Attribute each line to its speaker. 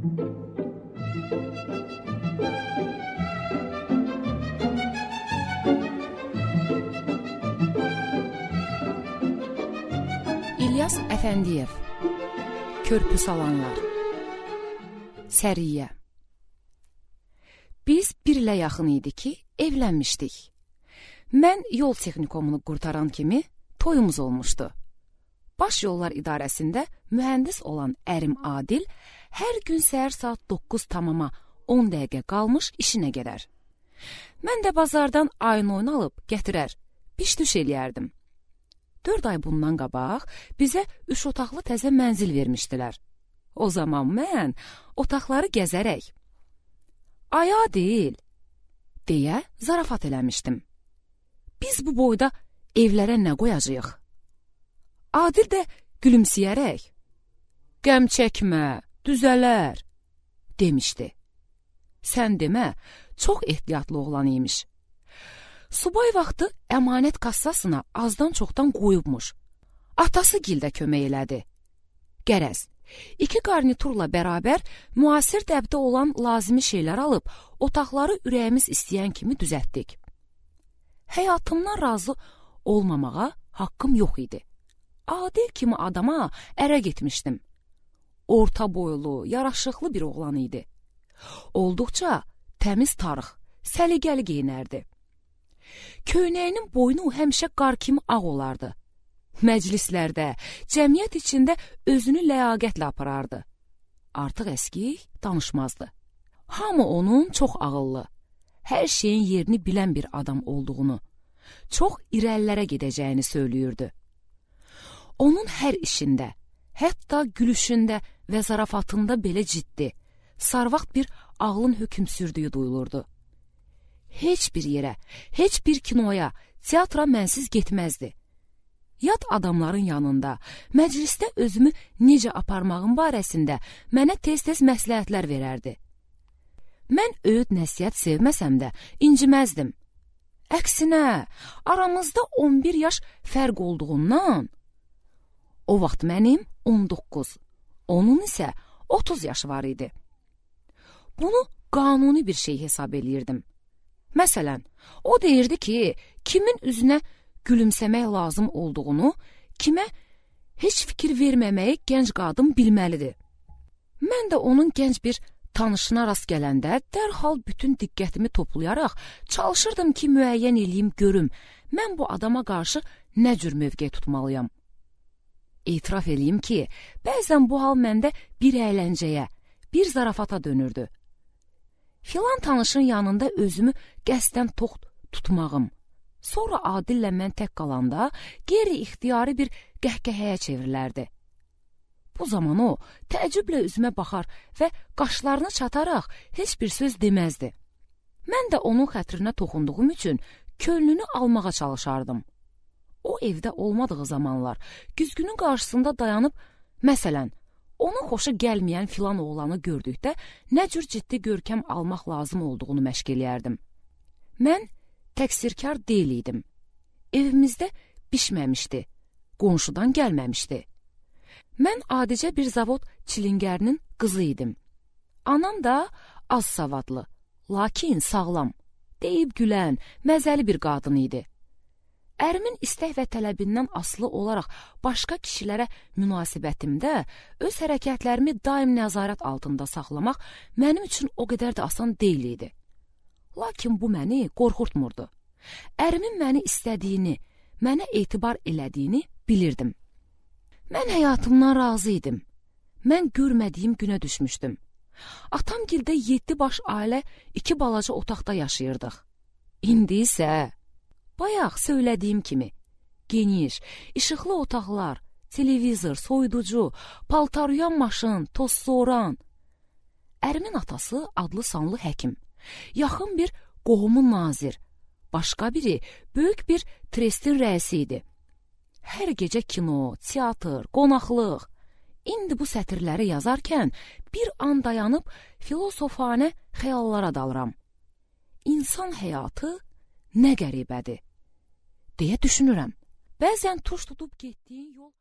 Speaker 1: İlyas Əfəndiyev, Körpü salanlar. Səriyyə. Biz bir ilə yaxın idi ki, evlənmişdik. Mən yol texnikumunu qurtaran kimi toyumuz olmuşdu. Baş yollar idarəsində mühəndis olan ərim Adil hər gün səhər saat 9:10 dəqiqə qalmış işinə gedər. Mən də bazardan ayın oyunu alıb gətirər, biş-düş eləyərdim. 4 ay bundan qabaq bizə 3 otaqlı təzə mənzil vermişdilər. O zaman mən otaqları gəzərək, "Ay Adil," deyə zarafat eləmişdim. "Biz bu boyda evlərə nə qoyacağıq?" Adil də gülümsəyərək, "Qəm çəkmə, düzələr," demişdi. Sən demə, çox ehtiyatlı oğlan imiş. Subay vaxtı əmanət kassasına azdan çoxdan qoyubmuş. Atası gildə kömək elədi. Qərəz, 2 qarniturla bərabər müasir dəbdə olan lazımi şeylər alıb, otaqları ürəyimiz istəyən kimi düzəltdik. Həyatımdan razı olmamağa haqqım yox idi. Adil kimi adama ərə getmişdim. Orta boylu, yaraşıqlı bir oğlan idi. Olduqca təmiz tarix, səliqəli geyinərdi. Köynəyinin boynu həmişə qar kimi ağ olardı. Məclislərdə, cəmiyyət içində özünü ləyaqətlə aparardı. Artıq əskik danışmazdı. Hamı onun çox ağıllı, hər şeyin yerini bilən bir adam olduğunu, çox irəlilərə gedəcəyini söylüyürdü. Onun hər işində, hətta gülüşündə və zarafatında belə ciddi, sarvaxt bir ağlın hökm sürdüyü duyulurdu. Heç bir yerə, heç bir kinoya, teatra mənsiz getməzdi. Yad adamların yanında, məclisdə özümü necə aparmağım barəsində mənə tez-tez məsləhətlər verərdi. Mən öyüd nəsihət sevməsəm də inciməzdim. Əksinə, aramızda 11 yaş fərq olduğundan, o vaxt mənim 19, onun isə 30 yaşı var idi. Bunu qanuni bir şey hesab eləyirdim. Məsələn, o deyirdi ki, kimin üzünə gülümsəmək lazım olduğunu, kimə heç fikir verməməyi gənc qadın bilməlidir. Mən də onun gənc bir tanışına rast gələndə dərhal bütün diqqətimi toplayaraq çalışırdım ki, müəyyən eləyim görüm, mən bu adama qarşı nə cür mövqe tutmalıyam. Etiraf eləyim ki, bəzən bu hal məndə bir əyləncəyə, bir zarafata dönürdü. Filan tanışın yanında özümü qəsdən tox tutmağım, sonra Adillə mən tək qalanda qeyri-ixtiyari bir qəhqəhəyə çevrilərdi. Bu zaman o təəccüblə üzümə baxar və qaşlarını çataraq heç bir söz deməzdi. Mən də onun xətrinə toxunduğum üçün könlünü almağa çalışardım. O evdə olmadığı zamanlar güzgünün qarşısında dayanıb, məsələn, onun xoşu gəlməyən filan oğlanı gördükdə nə cür ciddi görkəm almaq lazım olduğunu məşq eləyərdim. Mən təqsirkar deyil idim. Evimizdə bişməmişdi, qonşudan gəlməmişdi. Mən adicə bir zavod çilingərinin qızı idim. Anam da az savadlı, lakin sağlam, deyib gülən, məzəli bir qadın idi. Ərimin istək və tələbindən asılı olaraq başqa kişilərə münasibətimdə öz hərəkətlərimi daim nəzarət altında saxlamaq mənim üçün o qədər də asan deyil idi. Lakin bu məni qorxurtmurdu. Ərimin məni istədiyini, mənə etibar elədiyini bilirdim. Mən həyatımdan razı idim. Mən görmədiyim günə düşmüşdüm. Atamgildə 7 baş ailə 2 balaca otaqda yaşayırdıq. İndi isə bayaq söylədiyim kimi, geniş, işıqlı otaqlar, televizor, soyuducu, paltaryuyan maşın, toz soğuran. Ərimin atası adlı sanlı həkim, yaxın bir qohumun nazir, başqa biri böyük bir trestin rəisi idi. Hər gecə kino, teatr, qonaqlıq. İndi bu sətirləri yazarkən bir an dayanıb filosofanə xəyallara dalıram. İnsan həyatı nə qəribədir, deyə düşünürəm. Bəzən tuş tutub getdiyin yol